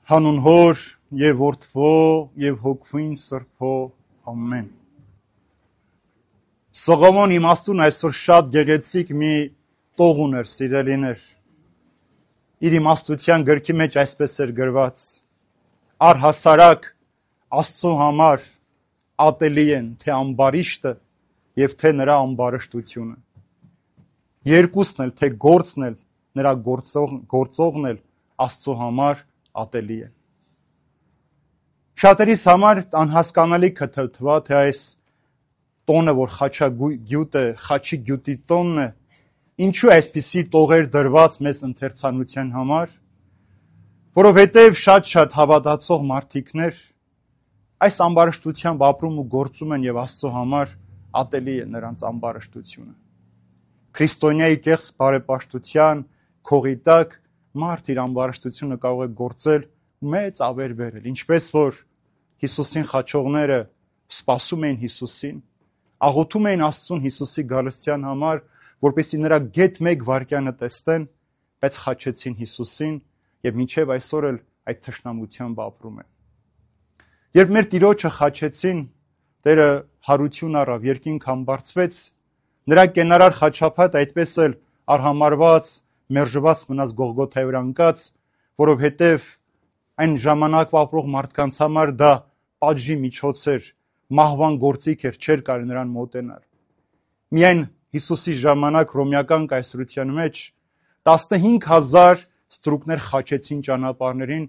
Հանուն Հոր եւ Որդվո եւ Հոգվին Սրբո ամեն։ Սողոմոն իմաստուն այսօր շատ գեղեցիկ մի տող ուներ, սիրելիներ։ Իր իմաստության գրքի մեջ այսպես էր գրված. առհասարակ Աստծո համար ատելի են թե ամբարիշտը եւ թե նրա ամբարշտությունը։ Երկուսն էլ, թե գործն էլ, նրա գործողն էլ Աստծո համար ատելի է։ Շատերիս համար անհասկանալի կթվա, թե այս տոնը, որ խաչագյուտ է, խաչի գյուտի տոնն է, ինչու այսպիսի տողեր դրված մեզ ընթերցանության համար, որովհետև շատ հավատացող մարդիկներ այս ամբարշտությամբ ապրում ու գործում են եւ Աստծո համար ատելի է նրանց ամբարշտությունը։ Քրիստոնյայի կեղծ բարեպաշտության քողի տակ մարդ իր ամբարշտությունը կարող է գործել մեծ ավեր բերել, ինչպես որ Հիսուսին խաչողները սպասում էին Հիսուսին, աղոթում էին Աստծուն Հիսուսի գալստյան համար, որպեսզի նրա գեթ մեկ վայրկյանը տեսնեն, բայց խաչեցին Հիսուսին եւ մինչեւ այսօր էլ այդ թշնամությամբ ապրում են։ Երբ մեր Տիրոջը խաչեցին, Տերը հարություն առավ, երկինք համբարձվեց, նրա կենարար խաչափաթը այդպես էլ արհամարված, մերժված մնաց Գողգոթայի վրա ընկած, որովհետև այն ժամանակվա ապրող մարդկանց համար դա պատժի միջոց էր, մահվան գործիք էր, չէր կարելի նրան մոտենալ։ Միայն Հիսուսի ժամանակ հռոմեական կայսրության մեջ 15000 ստրուկներ խաչեցին ճանապարհներին,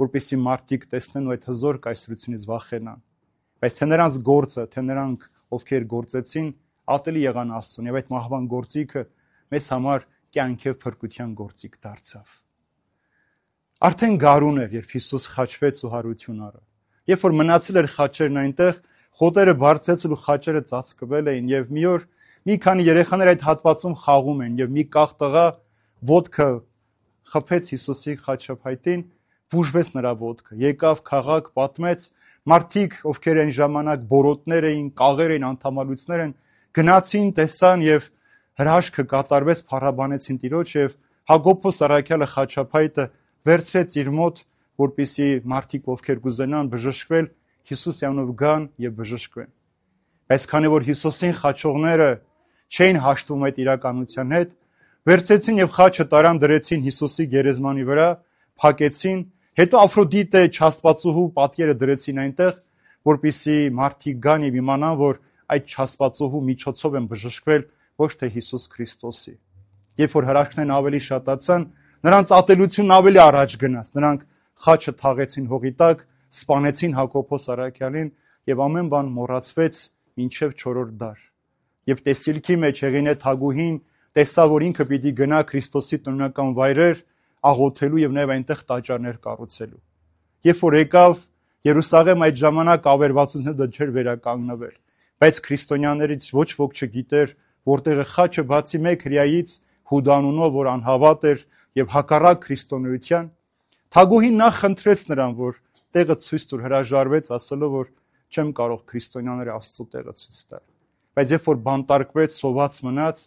որպեսզի մարդիկ տեսնեն ու այդ հզոր կայսրությունից վախենան։ Բայց թե նրանց գործը, թե նրանք, ովքեր գործեցին, ատելի եղան Աստծուն, եւ այդ մահվան գործիքը մեզ համար կյանք եւ փրկության գործիք դարձավ։ Արդեն գարուն էր, երբ Հիսուս խաչվեց ու հարություն առավ։ Երբ որ մնացել էր խաչերն այնտեղ, խոտերը բարձեցել ու խաչերը ծածկվել էին եւ մի օր մի քանի երեխաներ այդ հատվածում խաղում են եւ մի կախ տղա ոտքը խփեց Հիսուսի խաչափայտին, բուժվեց նրա ոտքը։ Եկավ քաղաք, պատմեց, մարդիկ, ովքեր այն ժամանակ բորոտներ էին, կաղեր էին, անդամալույցներ են, գնացին, տեսան եւ հրաշքը կատարվեց, փառաբանեցին Տիրոջ եւ Հակոբոս առաքյալը խաչափայտը վերցրեց իր մոտ, որպեսզի մարդիկ, ովքեր կուզենան բժշկվել, Հիսուսի անունով գան եւ բժշկվեն։ Բայց քանի որ Հիսուսին խաչողները չէին հաշտվում այդ իրականության հետ, վերցրեցին եւ խաչը տարան դրեցին Հիսուսի գերեզմանի վրա, փակեցին, հետո Աֆրոդիտե չաստվածուհու պատկերը դրեցին այնտեղ, որպեսզի մարդիկ գան եւ իմանան, որ այդ չաստվածուհու միջոցով են բժշկվել, ոչ թե Հիսուս Քրիստոսի։ Երբ որ հրաշքներն ավելի շատացան, նրանց ատելությունն ավելի առաջ գնաց, նրանք խաչը թաղեցին հողի տակ, սպանեցին Հակոբոս առաքյալին եւ ամեն բան մոռացվեց մինչեւ 4-րդ դար։ Եվ տեսիլքի մեջ Հեղինե Թագուհին տեսավ, որ ինքը պիտի գնա Քրիստոսի տնօրինական վայրեր աղոթելու եւ նաեւ այնտեղ տաճարներ կառուցելու։ Երբ որ եկավ Երուսաղեմ, այդ ժամանակ ավերվածությունը դա չէր վերականգնվել, բայց քրիստոնյաներից ոչ ոք չգիտեր, որտեղ է խաչը բացի մեկ հրեայից Հուդանունով, որ անհավատ էր եւ հակառակ քրիստոնեության, Թագուհին նախ խնդրեց նրան, որ տեղը ցույց տուր, հրաժարվեց, ասելով, որ չեմ կարող քրիստոնյաները Աստծո տեղը ցույց տալ։ Բայց երբ որ բանտարկվեց, սոված մնաց,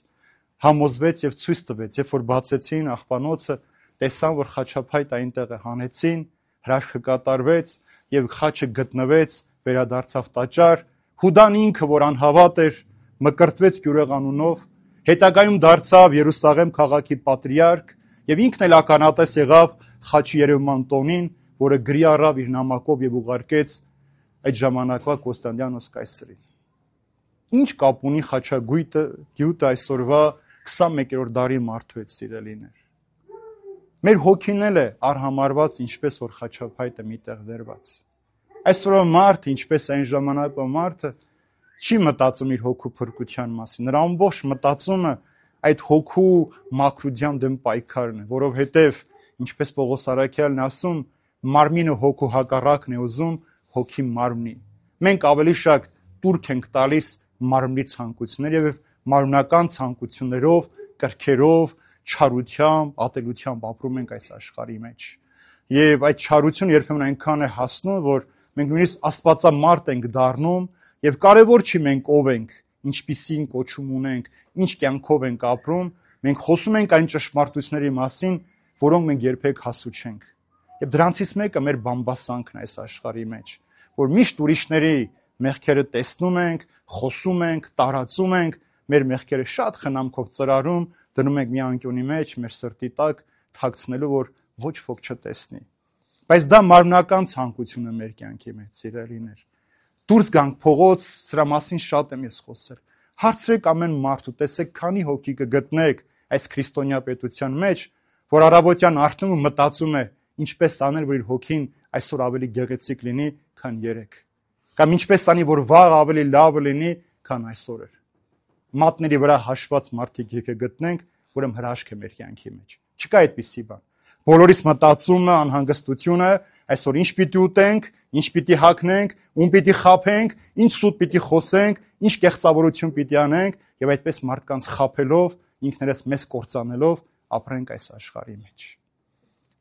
համոզվեց եւ ցույց տվեց, երբ որ բացեցին աղբանոցը, տեսան, որ խաչափայտ այնտեղ է, հանեցին, հրաշքը կատարվեց եւ խաչը գտնվեց, վերադարձավ տաճար, Հուդան ինքը, որ անհավատ էր, մկրտվեց Գյուրեղանունով, հետագայում դարձավ Երուսաղեմ քաղաքի պատրիարք եւ ինքն էլ ականատես եղավ խաչի երևման տոնին, որը գրի առավ իր նամակով եւ ուղարկեց այդ ժամանակվա Կոստանդիանոս կայսրին։ Ինչ կապ ունի խաչագյուտը այսօրվա 21-րդ դարի մարդու հետ, սիրելիներ։ Մեր հոգին էլ է արհամարված, ինչպես որ խաչափայտը միտեղ դրված։ Այսօրվա մարդը, ինչպես այն ժամանակվա մարդը, չի մտածում իր հոգու փրկության մասին։ Նրա ամբողջ մտածումը այդ հոգու մաքրության դեմ պայքարն է, որովհետև ինչպես Պողոս առաքյալն ասում, մարմինը հոգու հակառակն է ուզում, հոգի մարմնի։ Մենք ավելի շատ տուրք ենք տալիս մարմնի ցանկություններ եւ մարմնական ցանկություններով, կրքերով, չարությամբ, ատելությամբ ապրում ենք այս աշխարհի մեջ։ Եվ այդ չարությունը երբեմն այնքան է հասնում, որ մենք նույնիսկ աստվածամարդ ենք դառնում եւ կարեւոր չի մենք ով ենք, ինչպիսին կոչում ունենք, ինչ կյանքով ենք ապրում, մենք խոսում ենք այն ճշմարտությունների մասին, որոնք մենք երբեք հասու չենք։ Եվ դրանցից մեկը մեր բամբասանքն է այս աշխարհի մեջ, որ միշտ ուրիշների մեղքերը տեսնում ենք, խոսում ենք, տարածում ենք, մեր մեղքերը շատ խնամքով ծրարում, դնում ենք մի անկյունի մեջ, մեր սրտի տակ թաքցնելու, որ ոչ ոք չտեսնի։ Բայց դա մարմնական ցանկություն է մեր կյանքի մեջ, սիրելիներ։ Դուրս գանք փողոց, սրա մասին շատ եմ ես խոսել։ Հարցրեք ամեն մարդու, տեսեք քանի հոգի կգտնեք այս քրիստոնյա պետության մեջ, որ առավոտյան արթնում ու մտածում է, ինչպես անել, որ իր հոգին այսօր ավելի գեղեցիկ լինի, քան երեկ։ Կամ ինչպես անի, որ վաղ ավելի լավ լինի, քան այսօր էր։ Մատների վրա հաշված մարդիկ եկե գտնենք, ուրեմն հրաշք է մեր կյանքի մեջ։ Չկա այդպիսի բան։ Բոլորիս մտածումը, անհանգստությունը, այսօր ինչ պիտի ուտենք, ինչ պիտի հագնենք, ում պիտի խաբենք, ինչ սուտ պիտի խոսենք, ինչ կեղծավորություն պիտի անենք, եւ այդպես մարդկանց խաբելով, ինքներս մեզ կործանելով ապրենք այս աշխարհի մեջ։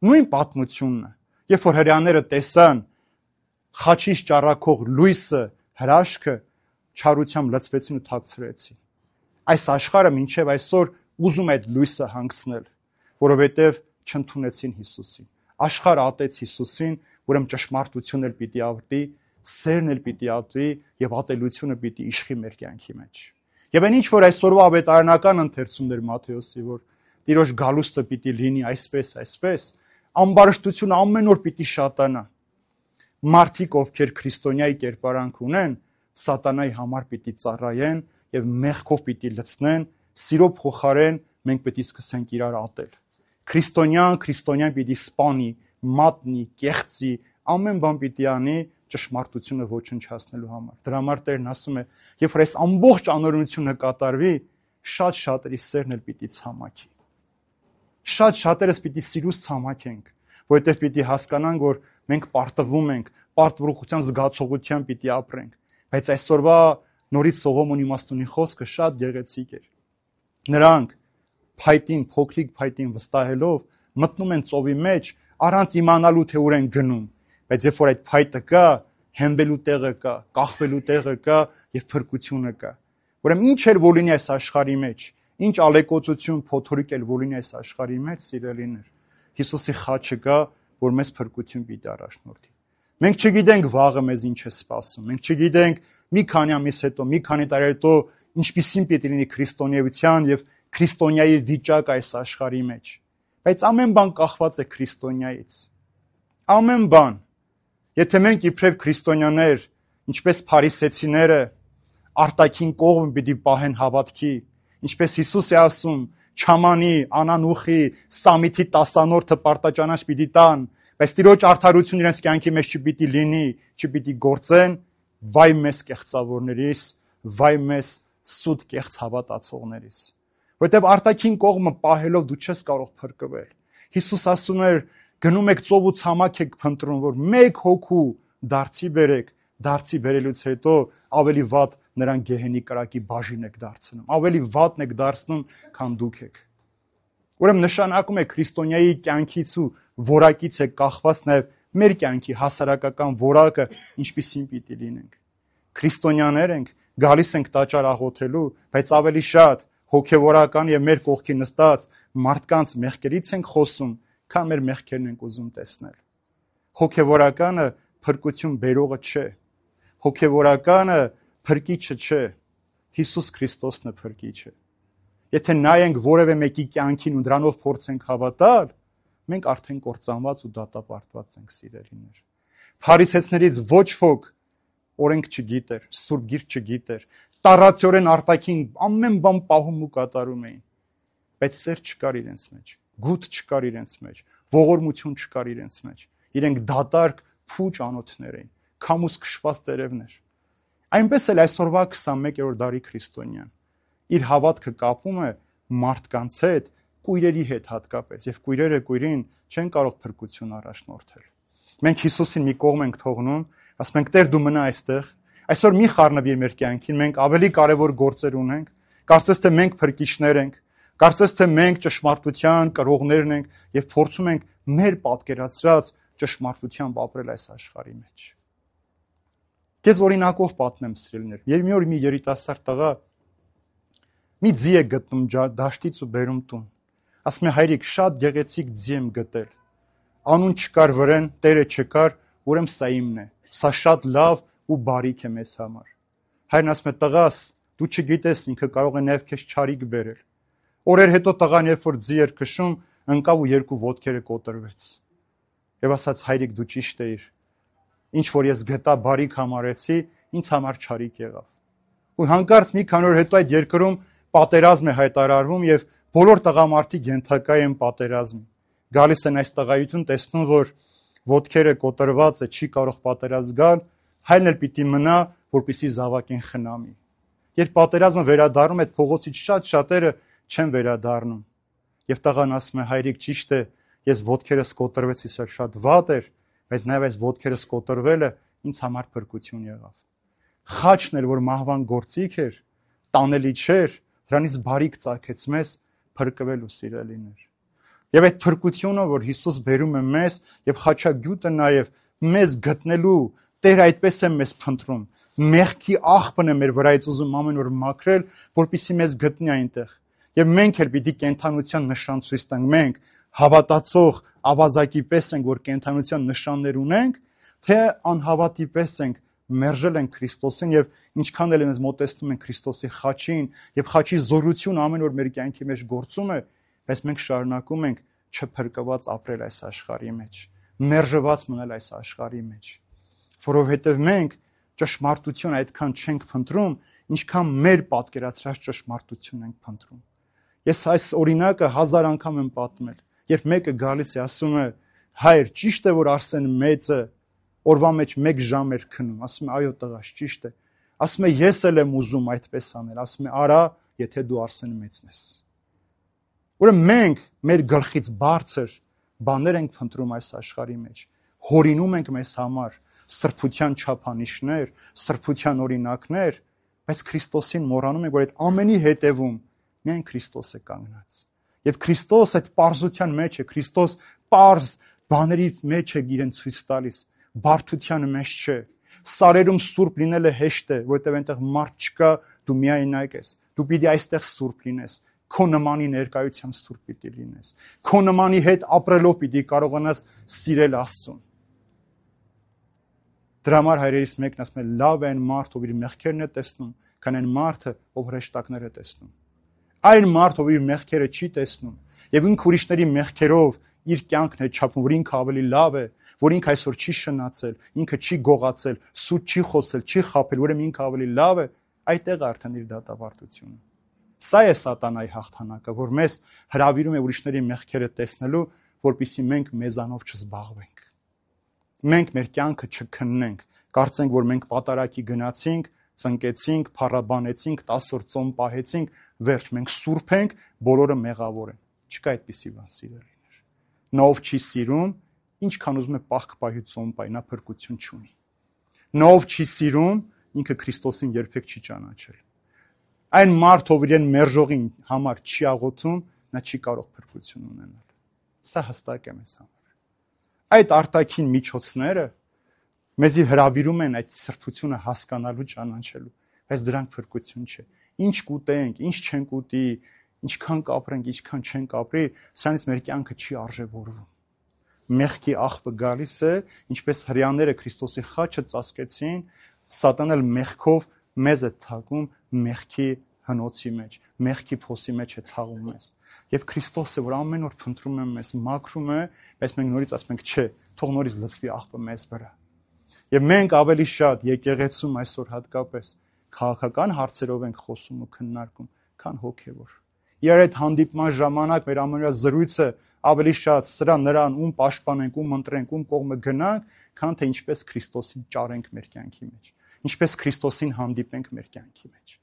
Նույն պատմությունն է, երբ որ հրեաները տեսան խաչից ճառակող լույսը, հրաշքը, չարությամբ լցվեցին ու թաքցրեցին։ Այս աշխարհը մինչև այսօր ուզում է այդ լույսը հանգցնել, որովհետև չընդունեցին Հիսուսին։ Աշխարհը ատեց Հիսուսին, ուրեմն ճշմարտությունն էլ պիտի ավարտի, սերն էլ պիտի ավարտի եւ ատելությունը պիտի իշխի մեր կյանքի մեջ։ Եվ այն ինչ որ այսօրվա ավետարանական ընթերցումներ Մատթեոսի, որ Տիրոջ գալուստը պիտի լինի այսպես, ամբարշտությունը ամեն օր պիտի շատանա։ Մարդիկ, ովքեր քրիստոնյայի կերպարանք ունեն, սատանայի համար պիտի ծառայեն եւ մեղքով պիտի լցնեն, սիրո փոխարեն մենք պիտի սկսենք իրար ատել։ Քրիստոնյան պիտի սպանի, մատնի, կեղծի, ամեն բան պիտի անի ճշմարտությունը ոչնչացնելու համար։ Դրա համար Տերն ասում է, երբ որ այս ամբողջ անօրենությունը կատարվի, շատ շատերի սերն էլ պիտի ցամաքի։ Շատ շատերս պիտի սիրուց ցամաքենք, որովհետև պիտի հասկանանք, որ մենք պարտվում ենք, պարտվողության զգացողությամբ պիտի ապրենք։ Բայց այսօրվա նորից Սողոմոն իմաստունի խոսքը շատ գեղեցիկ էր։ Նրանք փայտին, փոքրիկ փայտին վստահելով մտնում են ծովի մեջ, առանց իմանալու թե ուր են գնում, բայց երբ որ այդ փայտը կա, հենվելու տեղը կա, կախվելու տեղը կա եւ փրկությունը կա։ Ուրեմն ինչ էլ որ լինի այս աշխարհի մեջ, ինչ ալեկոծություն, փոթորիկ էլ որ լինի այս աշխարհի մեջ, սիրելիներ, Հիսուսի խաչը կա, որ մեզ փրկություն պիտի առաջնորդի։ Մենք չգիտենք վաղը մեզ ինչ է սպասում, մենք չգիտենք մի քանի ամիս հետո, մի քանի տարի հետո ինչպիսին պիտի լինի քրիստոնեության եւ քրիստոնյայի վիճակը այս աշխարհի մեջ։ Բայց ամեն բան կախված է քրիստոնյայից։ Ամեն բան։ Եթե մենք իբրև քրիստոնյաներ, ինչպես փարիսեցիները, արտաքին կողմը պիտի պահեն հավատքի, ինչպես Հիսուս է ասում, չամանի, անանուխի, սամիթի 10-րդը պարտաճանաչ պիտի տան, բայց Տիրոջ արդարություն իրենց կյանքի մեջ չպիտի լինի, չպիտի գործեն, վայ մեզ կեղծավորներիս, վայ մեզ սուտ կեղծ հավատացողներիս։ Որտեւ արտաքին կողմը պահելով դու չես կարող փրկվել։ Հիսուս ասում էր, գնում եք ծով ու ցամաք եք փնտրում, որ մեկ հոգու դարձի բերեք, դարձի բերելուց հետո ավելի վատ նրան գեհենի կրակի բաժին եք դարձնում, ավելի վատն եք դարձնում, քան դուք եք։ Ուրեմն նշանակում է քրիստոնյայի կյանքից ու որակից է կախված նաև մեր կյանքի հասարակական որակը ինչպիսին պիտի լինենք։ Քրիստոնյաներ ենք, գալիս ենք տաճար աղոթելու, բայց ավելի շատ հոգևորական եւ մեր կողքի նստած մարդկանց մեղքերից ենք խոսում, քան մեր մեղքերն ենք ուզում տեսնել։ Հոգևորականը փրկություն բերողը չէ։ Հոգևորականը փրկիչը չէ։ Հիսուս Քրիստոսն է փրկիչը։ Եթե նայենք որևէ մեկի կյանքին ու դրանով փորձենք հավատալ, մենք արդեն կործանված ու դատապարտված ենք, սիրելիներ։ Փարիսեցիներից ոչ ոք օրենք չգիտեր, Սուրբ Գիրք չգիտեր, տառացիորեն արտաքին ամեն բան պահում ու կատարում էին, բայց սեր չկար իրենց մեջ, գութ չկար իրենց մեջ, ողորմություն չկար իրենց մեջ։ Իրենք դատարկ փուչ անոթներ էին, քամուս քշված տերևներ։ Այնպես էլ այսօրվա 21-րդ դարի քրիստոնյան իր հավատքը կապում է մարդկանց հետ, կույրերի հետ հատկապես, եւ կույրերը կույրին չեն կարող փրկություն առաջնորդել։ Մենք Հիսուսին մի կողմ ենք թողնում, ասում ենք Տեր դու մնա այստեղ, այսօր մի խառնվիր մեր կյանքին, մենք ավելի կարևոր գործեր ունենք, կարծես թե մենք փրկիչներ ենք, կարծես թե մենք ճշմարտության կրողներն ենք եւ փորձում ենք մեր պատկերացրած ճշմարտությամբ ապրել այս աշխարհի մեջ։ Ես օրինակով պատմեմ, սիրելիներ, մի օր մի երիտասարդ տղա մի ձի է գտնում դաշտից ու բերում տուն։ Ասում է հայրիկ, շատ գեղեցիկ ձի եմ գտել։ անուն չկար վրեն, Տերը չկար, ուրեմն սա իմն է։ Սա շատ լավ ու բարիք է մեզ համար։ Հայրն ասում է, տղաս, դու չգիտես, ինքը կարող է նաև քեզ չարիք բերել։ Օրեր հետո տղան, երբ որ ձի էր քշում, ընկավ ու երկու ոտքերը կոտրվեց։ Եվ ասաց, հայրիկ, դու ճիշտ էիր։ Ինչ որ ես գտա բարիք համարեցի, ինձ համար չարիք եղավ։ Ու հանկարծ մի քանի օր հետո այդ երկրում պատերազմ է հայտարարվում եւ բոլոր տղամարդիկ ենթակա են պատերազմի։ Գալիս են այս տղայություն, տեսնում, որ ոտքերը կոտրված է, չի կարող պատերազմ գալ, հայրն էլ պիտի մնա, որպեսզի զավակին խնամի։ Երբ պատերազմը վերադառնում, այդ փողոցից շատ շատերը չեն վերադառնում։ Եվ տղան ասում է, հայրիկ, ճիշտ է, ես ոտքերս կոտրվեցի, շատ վատ էր, բայց նաև այս ոտքերս կոտրվելը ինձ համար փրկություն եղավ։ Խաչն էլ, որ մահվան գործիք էր, տանելի չէր, դրանից բարիք ծագեց մեզ փրկվելու սիրելիներ։ Եվ այդ փրկությունը, որ Հիսուս բերում է մեզ, եւ խաչագյուտը նաև մեզ գտնելու, Տերը այդպես է մեզ փնտրում։ Մեղքի աղբն է մեր վրայից ուզում ամեն օր մաքրել, որպեսզի մեզ գտնի այնտեղ։ Եվ մենք էլ պիտի կենդանության նշան ցույց տանք։ Մենք հավատացող ավազակի պես ենք, որ կենդանության նշաններ ունենք, թե անհավատի պես ենք, մերժել ենք Քրիստոսին եւ ինչքան էլ մեզ մոտեցնում են Քրիստոսի խաչին եւ խաչի զորություն ամեն օր մեր կյանքի մեջ գործում է, բայց մենք շարունակում ենք չփրկված ապրել այս աշխարհի մեջ, մերժված մնալ այս աշխարհի մեջ, որովհետեւ մենք ճշմարտություն այդքան չենք փնտրում, ինչքան մեր պատկերացրած ճշմարտություն ենք փնտրում։ Ես այս օրինակը 1000 անգամ եմ պատմել, երբ մեկը գալիս է ասում է, հայր, ճիշտ է, որ Արսեն մեծը օրվա մեջ 1 ժամ էր քնում, ասում է, այո տղաս, ճիշտ է, ասում է, ես էլ եմ ուզում այդպես անել, ասում է, արա, եթե դու Արսեն մեծն ես։ Ուրեմն մենք մեր գլխից բարձր բաներ ենք փնտրում այս աշխարհի մեջ, հորինում ենք մեզ համար սրբության չափանիշներ, սրբության օրինակներ, բայց Քրիստոսին մոռանում ենք, որ այդ ամենի հետևում միայն Քրիստոս է կանգնած։ Եւ Քրիստոս այդ պարզության մեջ է, Քրիստոս պարզ բաների մեջ է իրեն ցույց տալիս, բարդության մեջ չէ։ Սարերում սուրբ լինելը հեշտ է, որովհետեւ այնտեղ մարդ չկա, դու միայնակ ես։ Դու պիտի այստեղ սուրբ լինես, քո նմանի ներկայությամբ սուրբ պիտի լինես։ Քո նմանի հետ ապրելով պիտի կարողանաս սիրել Աստծուն։ Դրա համար հայրերից մեկն ասում է, լավ է այն մարդ, ով իր մեղքերն է տեսնում, քան այն մարդը, ով հրեշտակներ է տեսնում։ Այն մարդ, ով իր մեղքերը չի տեսնում, եւ ինքը ուրիշների մեղքերով իր կյանքն է չափում, որ ինքը ավելի լավ է, որ ինքը այսօր չի շնացել, ինքը չի գողացել, սուտ չի խոսել, չի խաբել, ուրեմն ինքը ավելի լավ է, այդտեղ արդեն իր դատավարտությունը։ Սա է սատանայի հաղթանակը, որ մեզ հրավիրում է ուրիշների մեղքերը տեսնելու, որպեսզի մենք մեզանով չզբաղվենք։ Մենք մեր կյանքը չքննենք, կարծենք, որ մենք պատարակի գնացինք, ծնկեցինք, փառաբանեցինք, 10 օր ծոմ պահեցինք, վերջ, մենք սուրբ ենք, բոլորը մեղավոր են։ Չկա այդպիսի բան, սիրելիներ։ Նա ով չի սիրում, ինչքան ուզում է պահք պահի ծոմ պահի, նա փրկություն չունի։ Նա ով չի սիրում, ինքը Քրիստոսին երբեք չի ճանաչել։ Այն մարդ, ով իրեն մերժողին համար չի աղոթում, նա չի կարող փրկություն ունենալ։ Սա հստակ է մեզ համար։ Այդ արտաքին միջոցները մեզի հրավիրում են այդ սրբությունը հասկանալու, ճանաչելու, բայց դրանք փրկություն չէ։ Ինչ կուտենք, ինչ չենք ուտի, ինչքան կապրենք, ինչքան չենք ապրի, սրանից մեր կյանքը չի արժևորվում։ Մեղքի աղբը գալիս է, ինչպես հրեաները Քրիստոսի խաչը ծածկեցին, սատանան էլ մեղքով մեզ է թաղում մեղքի հնոցի մեջ, մեղքի փոսի մեջ է թաղում մեզ։ Եվ Քրիստոսը, որ ամեն օր փնտրում է մեզ, մաքրում է, բայց մենք նորից ասում ենք, չէ, թող նորից լցվի աղբը մեզ վրա։ Եվ մենք ավելի շատ եկեղեցում այսօր հատկապես քաղաքական հարցերով ենք խոսում ու քննարկում, քան հոգևոր։ Իրար այդ հանդիպման ժամանակ մեր ամենօրյա զրույցը ավելի շատ սրա նրան ում պաշտպանենք, ում ընտրենք, ում կողմը գնանք, քան թե ինչպես Քրիստոսին ճարենք մեր կյանքի մեջ, ինչպես Քրիստոսին հանդիպենք մեր կյանքի մեջ։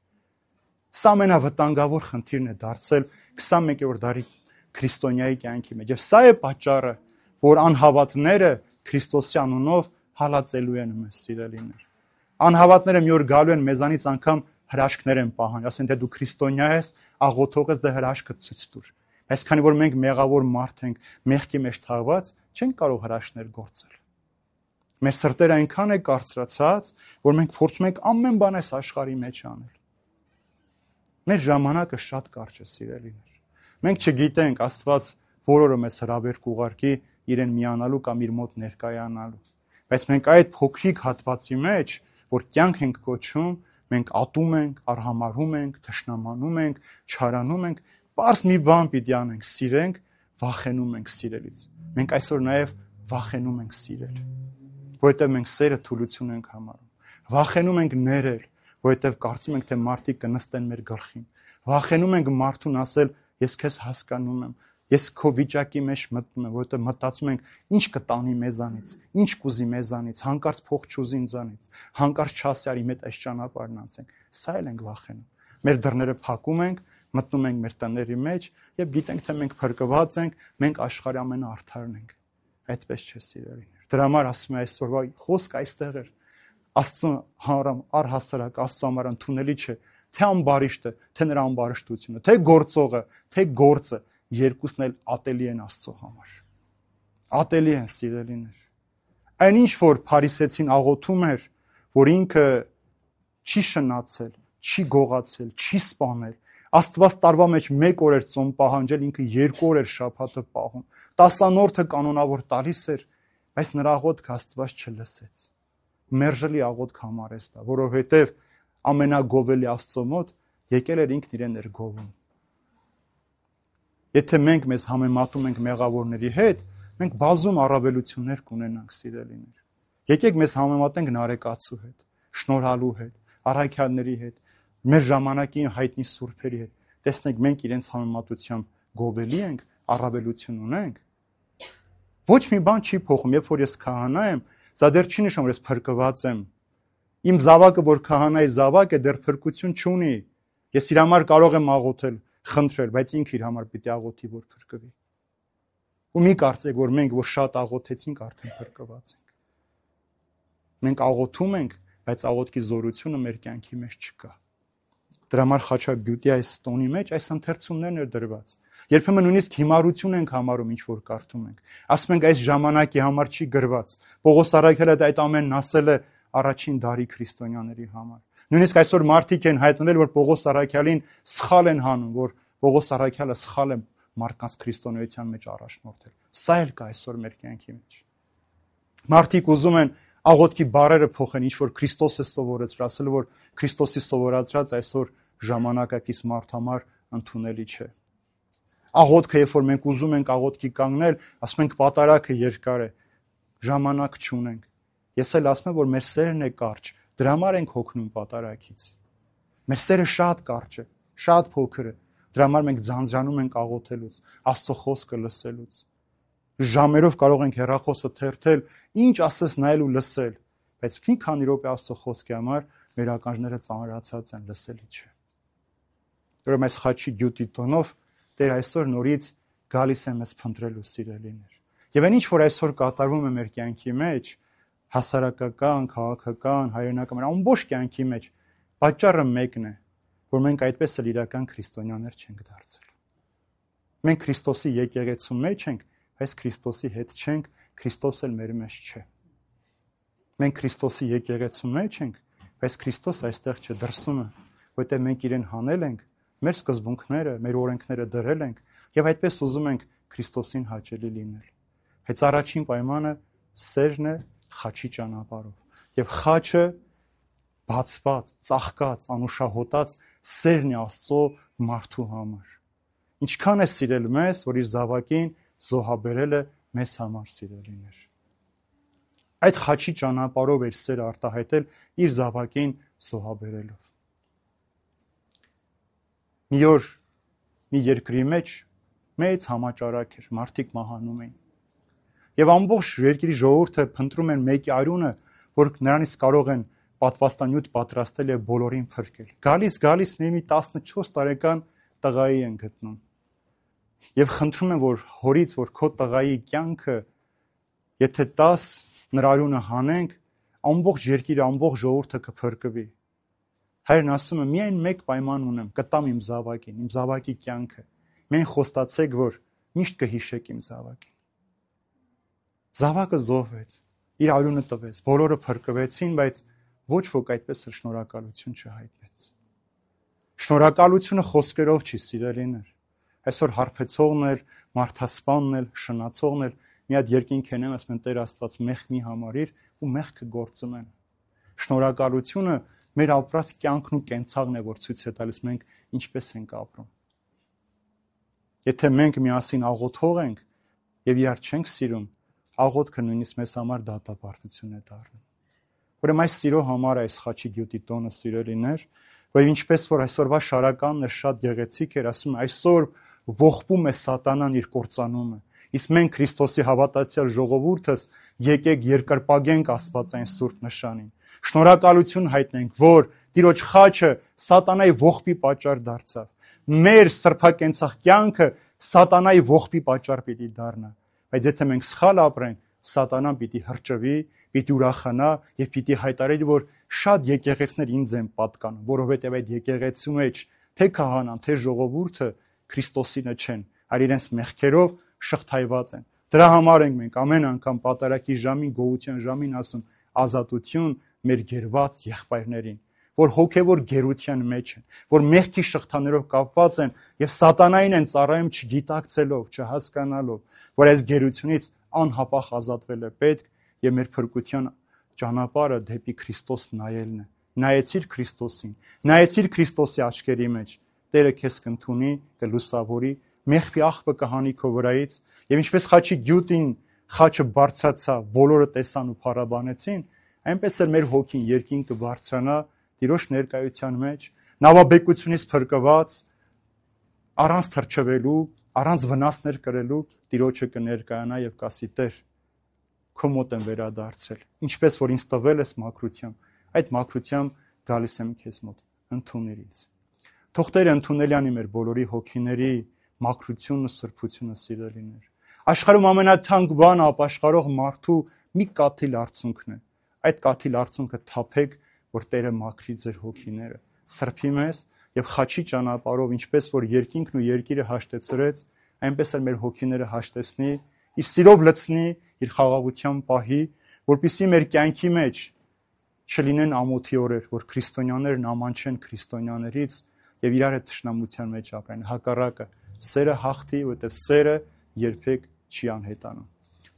Սա ամենավտանգավոր խնդիրն է դարձել 21-րդ դարի քրիստոնյայի կյանքի մեջ։ Եվ սա է պատճառը, որ անհավատները Քրիստոսի անունով հալածելու են մեզ, սիրելիներ։ Անհավատները մի օր գալու են մեզանից անգամ հրաշքներ են պահան, ասեն թե դու քրիստոնյա ես, աղոթող ես, դե հրաշքը ցույց տուր։ Բայց քանի որ մենք մեղավոր մարդ ենք, մեղքի մեջ թաղված, չենք կարող հրաշքներ գործել։ Մեր սրտերը այնքան է կարծրացած, որ մենք փորձում ենք ամեն բան այս աշխարհի մեջ անել։ Մեր ժամանակը շատ կարճ է, սիրելիներ։ Մենք չգիտենք Աստված որ օրը մեզ հրավեր կուղարկի իրեն միանալու կամ իր մոտ ներկայանալու։ Բայց մենք այդ փոքրիկ հատվածի մեջ, որ կյանք ենք կոչում, մենք ատում ենք, արհամարհում ենք, թշնամանում ենք, չարանում ենք, պարզ մի բան պիտի անենք, սիրենք, վախենում ենք սիրելից։ Մենք այսօր նաև վախենում ենք սիրել, որովհետև մենք սերը թուլություն ենք համարում։ Վախենում ենք ներել, որովհետև կարծում ենք, թե մարդիկ կնստեն մեր գլխին։ Վախենում ենք մարդուն ասել, ես քեզ հասկանում եմ, ես քո վիճակի մեջ մտնում եմ, որովհետև մտածում ենք, ինչ կտանի մեզանից, ինչ կուզի մեզանից, հանկարծ փող չուզի ինձանից, հանկարծ չասի արի մետ այս ճանապարհն անցենք։ Սա էլ ենք վախենում։ Մեր դռները փակում ենք, մտնում ենք մեր տների մեջ եւ գիտենք, թե մենք փրկված ենք, մենք աշխարհի ամենաարդարն ենք։ Այդպես չէ, սիրելիներ։ Դրա համար ասում եմ այսօրվա խոսք այստեղ էր։ Աստծո առհասարակ Աստծո համար ընդունելի չէ, թե ամբարիշտը, թե նրա ամբարիշտությունը, թե գործողը, թե գործը, երկուսն էլ ատելի են Աստծո համար։ Ատելի են, սիրելիներ։ Այնինչ որ Փարիսեցին աղոթում էր, որ ինքը չի շնացել, չի գողացել, չի սպանել, Աստված տարվա մեջ 1 օր էր ծոմ պահանջել, ինքը 2 օր էր շաբաթը պահում, 10-րդը կանոնավոր տալիս էր, բայց նրա աղոթքը Աստված չլսեց։ Մերժելի աղոթք համարեց դա, որովհետև ամենագովելի Աստծո մոտ եկել էր ինքն իրեն էր գովում։ Եթե մենք մեզ համեմատում ենք մեղավորների հետ, մենք բազում առավելություններ կունենանք, սիրելիներ։ Եկեք մեզ համեմատենք նարեկացու հետ, շնորհալու հետ, առաքյալների հետ, մեր ժամանակի հայտնի սուրբերի հետ։ Տեսնենք մենք իրենց համեմատությամբ գովելի ենք, առավելություն ունենք։ Ոչ մի բան չի փոխում, երբ որ ես քահանա եմ, սա դեռ չի նշում, որ ես փրկված եմ։ Իմ զավակը, որ քահանայի զավակ է, դեռ փրկություն չունի։ Ես իր համար կարող եմ աղոթել, խնդրել, բայց ինքը իր համար պիտի աղոթի, որ փրկվի։ Ու մի կարծեք, որ մենք որ շատ աղոթեցինք, արդեն փրկված ենք։ Մենք աղոթում ենք, բայց աղոթքի զորությունը մեր կյանքի մեջ չկա։ Դրա համար Խաչագյուտի այս տոնի մեջ այս ընթերցումներն էր դրված։ Երբեմն նույնիսկ հիմարություն ենք համարում, ինչ որ կարդում ենք։ Ասում ենք այս ժամանակի համար չի գրված։ Պողոս առաքյալը այդ ամենն ասել է առաջին դարի քրիստոնյաների համար։ Նույնիսկ այսօր մարդիկ են հայտնվել, որ Պողոս առաքյալին սխալ են հանում, որ Պողոս առաքյալը սխալ է մարդկանց քրիստոնեության մեջ առաջնորդել։ Սա էլ կա այսօր մեր կյանքի մեջ։ Մարդիկ ուզում են աղոթքի բառերը փոխեն, ինչ որ Քրիստոս է սովորեցրել, ասել որ Քրիստոսի սովորածրած այսօր ժամանակակից մարդ համար ընդունելի չէ։ Աղոթքը, երբ որ մենք ուզում ենք աղոթքի կանգնել, ասում ենք պատարագը երկար է, ժամանակ չունենք։ Ես էլ ասում եմ, որ մեր սերն է կարճ, դրա համար ենք հոգնում պատարագից։ Մեր սերը շատ կարճ է, շատ փոքր է։ Դրա համար մենք ձանձրանում ենք աղոթելուց, Աստծո խոսքը լսելուց։ Ժամերով կարող ենք հեռախոսը թերթել, ինչ ասես նայել ու լսել, բայց մի քանի րոպե Աստծո խոսքի համար մեր ականջները ծանրացած են, լսելի չէ։ Ուրեմն այս խաչի գյուտի տոնով Տեր այսօր նորից գալիս է մեզ փնտրելու, սիրելիներ։ Եվ այն ինչ որ այսօր կատարվում է մեր կյանքի մեջ, հասարակական, քաղաքական, հայրենական, ամբողջ կյանքի մեջ, պատճառը մեկն է, որ մենք այդպես էլ իրական քրիստոնյաներ չենք դարձել։ Մենք Քրիստոսի եկեղեցու մեջ ենք, բայց Քրիստոսի հետ չենք, Քրիստոս էլ մեր մեջ չէ։ Մենք Քրիստոսի եկեղեցու մեջ ենք, բայց Քրիստոս այստեղ չէ, դրսում է, որտեղ մենք իրեն հանել ենք, մեր սկզբունքները, մեր օրենքները դրել ենք եւ այդպես ուզում ենք Քրիստոսին հաճելի լինել։ Հենց առաջին պայմանը սերն է խաչի ճանապարհով։ Եվ խաչը բացված, ծաղկած, անուշահոտած սերն է Աստծո մարդու համար։ Ինչքան է սիրել մեզ, որ իր զավակին զոհաբերել է մեզ համար, սիրելիներ։ Այդ խաչի ճանապարհով էր սերը արտահայտել իր զավակին զոհաբերելով։ Մի օր մի երկրի մեջ մեծ համաճարակ էր, մարդիկ մահանում էին։ Եվ ամբողջ երկրի ժողովուրդը փնտրում են մեկի արյունը, որ նրանից կարող են պատվաստանյութ պատրաստել եւ բոլորին փրկել։ Գալիս մի 14 տարեկան տղայի են գտնում։ Եվ խնդրում են, որ հորից, որ քո տղայի կյանքը, եթե 10 նրա արյունը հանենք, ամբողջ երկիրը, ամբողջ ժողովուրդը կփրկվի։ Հայրն ասում է, միայն մեկ պայման ունեմ, կտամ իմ զավակի կյանքը։ Միայն խոստացեք, որ միշտ կհիշեք իմ զավակին։ Զավակը զոհվեց, իր արյունը տվեց, բոլորը փրկվեցին, բայց ոչ ոք այդպես էլ շնորհակալություն չհայտնեց։ Շնորհակալությունը խոսքերով չի, սիրելիներ։ Այսօր հարբեցողն էլ, մարդասպանն էլ, շնացողն էլ մի հատ երկինք են, ասում են Տեր Աստված մեղք մի համարիր ու մեղքը գործում են։ Շնորհակալությունը մեր ապրած կյանքն ու կենցաղն է, որ ցույց է տալիս մենք ինչպես ենք ապրում։ Եթե մենք միասին աղոթող ենք եւ իրար չենք սիրում, աղոթքը նույնիսկ մեզ համար դատապարտություն է դառնում։ Ուրեմն այս սիրո համար է այս խաչի գյուտի տոնը սիրելիներ, որ ինչպես որ այսօրվա շարականն է շատ գեղեցիկ էր, ասում է այսօր ողբում է սատանան իր կործանումը։ Իսկ մենք Քրիստոսի հավատացյալ ժողովուրդս եկեք երկրպագենք Աստվածային սուրբ նշանին։ Շնորհակալություն հայտնենք, որ Տիրոջ խաչը սատանայի ողբի պատճառ դարձավ։ Մեր սրբակենցաղ կյանքը սատանայի ողբի պատճառ պիտի դառնա։ Բայց եթե մենք սխալ ապրենք, սատանան պիտի հրճվի, պիտի ուրախանա եւ պիտի հայտարարի, որ շատ եկեղեցիներ ինձ են պատկանում, որովհետեւ այդ եկեղեցու մեջ թե քահանան, թե ժողովուրդը Քրիստոսինը չեն, այլ իրենց մեղքերով շղթայված են։ Դրա համար ենք մենք ամեն անգամ պատարակի ժամին, գոհության ժամին ասում ազատություն մեր գերված եղբայրներին, որ հոգևոր գերության մեջ են, որ մեղքի շղթաներով կապված են եւ սատանային են ծառայում չգիտակցելով, չհասկանալով, որ այս գերությունից անհապաղ ազատվել է պետք եւ մեր փրկության ճանապարհը դեպի Քրիստոս նայելն է։ Նայեցիր Քրիստոսին, նայեցիր Քրիստոսի աչքերի մեջ, Տերը քեզ կընդունի, կլուսավորի, մեղքի աղբը կհանի քո վրայից եւ ինչպես խաչի գյուտին խաչը բարձրացավ, բոլորը տեսան ու փառաբանեցին, այնպես էլ մեր հոգին երկին կբարձրանա Տիրոջ ներկայության մեջ, նավաբեկությունից փրկված, առանց թրջվելու, առանց վնասներ կրելու Տիրոջը կներկայանա եւ կասի Տեր, քո մոտ եմ վերադարձել, ինչպես որ ինձ տվել ես մաքրությամբ, այդ մաքրությամբ գալիս եմ քեզ մոտ, ընդունիր ինձ։ Թող Տերը ընդունել անի մեր բոլորի հոգիների մաքրությունն ու սրբությունը սիրելիներ։ Աշխարհում ամենաթանկ բանը ապաշխարող մարդու մի կաթիլ արցունքն է։ Այդ կաթիլ արցունքը թափեք, որ Տերը մաքրի ձեր հոգիները, սրբի մեզ եւ խաչի ճանապարհով, ինչպես որ երկինքն ու երկիրը հաշտեցրեց, այնպես էլ մեր հոգիները հաշտեցնի, իր սիրով լցնի, իր խաղաղությամբ պահի, որպեսզի մեր կյանքի մեջ չլինեն ամոթի օրեր, որ քրիստոնյաներն ամանչեն քրիստոնյաներից եւ իրար հետ թշնամության մեջ ապրեն։ Հակառակը, սերը հաղթի, որտեղ սերը երբեք չի անհետանում։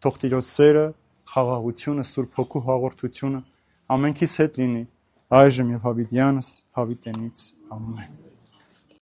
Թող Տիրոջ սերը, խաղաղությունը, Սուրբ Հոգու հաղորդությունը ամենքիս հետ լինի այժմ եւ հավիտյանս հավիտենից ամեն։